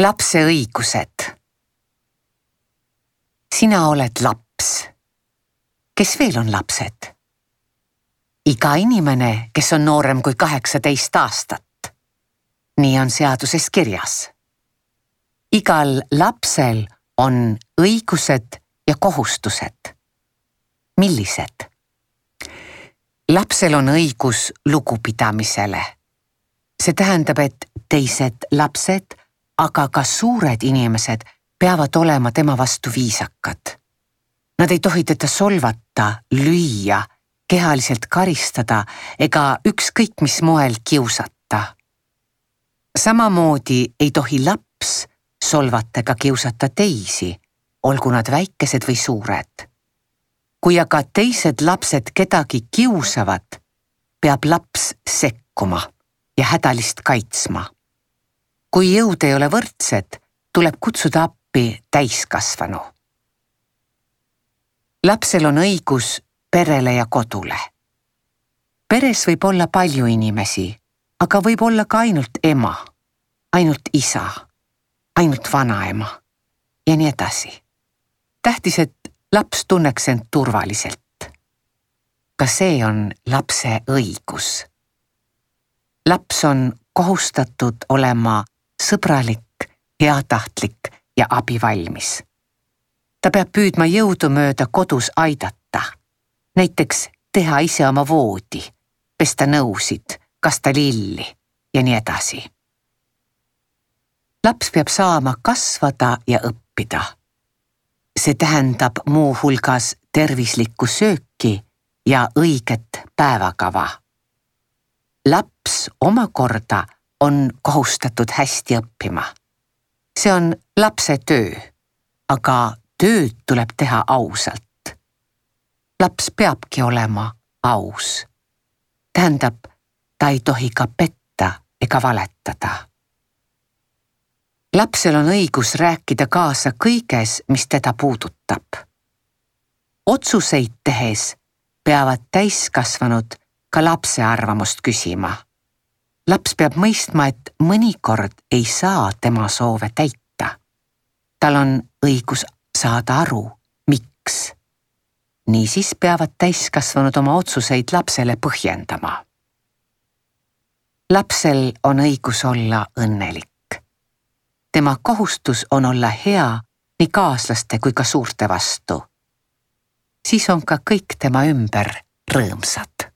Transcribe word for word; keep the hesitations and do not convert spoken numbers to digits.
Lapse õigused. Sina oled laps. Kes veel on lapsed? Iga inimene, kes on noorem kui kaheksateist aastat. Nii on seaduses kirjas. Igal lapsel on õigused ja kohustused. Millised? Lapsel on õigus lugupidamisele. See tähendab, et teised lapsed, aga ka suured inimesed peavad olema tema vastu viisakad. Nad ei tohi teda solvata, lüüa, kehaliselt karistada ega ükskõik mis moel kiusata. Samamoodi ei tohi laps solvata ega kiusata teisi, olgu nad väikesed või suured. Kui aga teised lapsed kedagi kiusavad, peab laps sekkuma ja hädalist kaitsma. Kui jõud ei ole võrdsed, tuleb kutsuda appi täiskasvanu. Lapsel on õigus perele ja kodule. Peres võib olla palju inimesi, aga võib olla ka ainult ema, ainult isa, ainult vanaema ja nii edasi. Tähtis, et laps tunneks end turvaliselt. Ka see on lapse õigus. Laps on kohustatud olema sõbralik, heatahtlik ja abivalmis. Ta peab püüdma jõudu mööda kodus aidata. Näiteks teha ise oma voodi, pesta nõusid, kasta lilli ja nii edasi. Laps peab saama kasvada ja õppida. See tähendab muu hulgas tervislikku sööki ja õiget päevakava. Laps omakorda on kohustatud hästi õppima. See on lapse töö, aga tööd tuleb teha ausalt. Laps peabki olema aus. Tähendab, ta ei tohi ka petta ega valetada. Lapsel on õigus rääkida kaasa kõiges, mis teda puudutab. Otsuseid tehes peavad täiskasvanud ka lapse arvamust küsima. Laps peab mõistma, et mõnikord ei saa tema soove täita. Tal on õigus saada aru, miks. Niisiis peavad täiskasvanud oma otsuseid lapsele põhjendama. Lapsel on õigus olla õnnelik. Tema kohustus on olla hea nii kaaslaste kui ka suurte vastu. Siis on ka kõik tema ümber rõõmsad.